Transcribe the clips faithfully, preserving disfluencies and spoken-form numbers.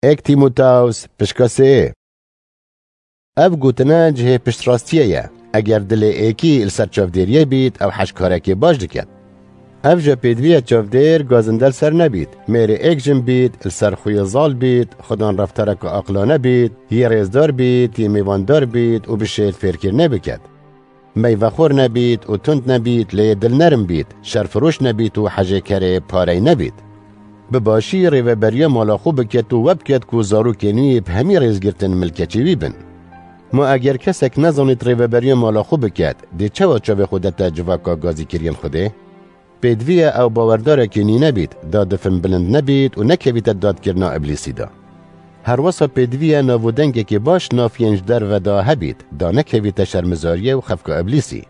Êk Tîmoteos pişka sê. Ev gotine cihê piştrastiyê ye. Eger dilê êkî li ser çavdêriyê bît, ew hej karekê baş diket. Ev ji pêdivî ye çavdêr gazinde li ser nebît, mêrê êk jin bît, li ser xwiyê zal bît, xudan reftareke aqilane bît, yê rêzdar bît, yê mêvandar bît û bişêt fêrkirine biket. Meyvexwar nebît û tund nebît, lê yê dilnerm bît, şerfiroş nebît û hejêkerê parey nebît. Bi başî rêveberiya mala xwe biket û we biket ku zarokên wî bi hemî rêzgirtin milkeçî wî bin. Ma eger kesek nezanît rêveberiya mala xwe biket, dê çawa çavê xwe dete civaka gazîkiriyên Xwedê? Pêdivî ye ew bawerdarekî nîne bît, da difin bilind nebît û nekevîte dadkirina Îblîsî de. Herwesa pêdivî ye nav û dengekî baş nav yên ji derve de hebît, da nekevîte şermizariyê û xefka Îblîsî.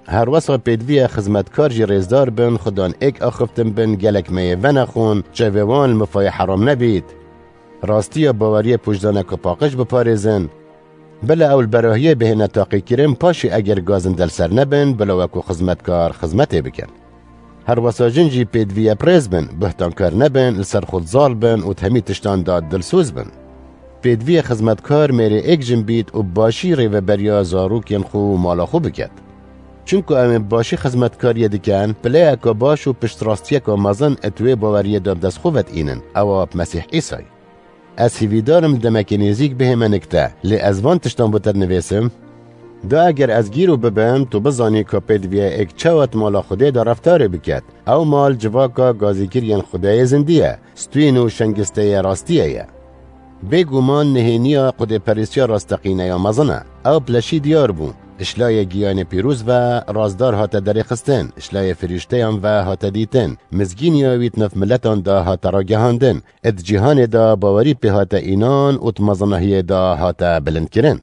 Herwesa pêdivî ye xizmetkar jî rêzdar bin, xudan êk axiftin bin, gelek meyê venexwin, çavê wan li mifayê heram nebît. Rastiya baweriyê pûçdaneke paqij biparêzin. Bila ew li berahiyê bihêne taqîkirin, paşê eger gazinde li ser nebin, bila wekû xizmetkar xizmetê bikin. Herwesa jin jî pêdivî ye birêz bin, buhtankar nebin, li ser xwe zal bin û di hemî tiştan de dilsoz bin. Pêdivî ye xizmetkar mêrê êk jin bît û bi başî rêveberiya zarokên xwe û mala xwe biket. Çunku em ê bi başî xizmetkariyê dikin, pileyeke baş û piştrastiyeke mezin di wê baweriyê de bi dest xwe ve diînin, ewa bi Mesîh Îsay. Ez hîvîdar im demekê nêzîk bihê me nikte, lê ez van tiştan bo te dinivîsim. Da eger ez gîro bibim, tu bizanî ka pêdivî ye êk çawa di mala Xwedê de reftarê biket. Ew mal civaka gazîkiriyên Xwedê yê zindî ye, stûyên û şengisteyê rastiyê ye. Bêguman nihêniya xwedêperestiya rasteqîne ya mezin e. Ew bi leşî diyar bû. Ji layê giyanê pîroz ve razdar hate derêxistin, ji layê firîşteyan ve hate dîtin, mizgîniya wî di nav miletan de hate ragihandin, ê di cîhanê de bawerî pê hate înan û di mezinahiyê de hate bilindkirin.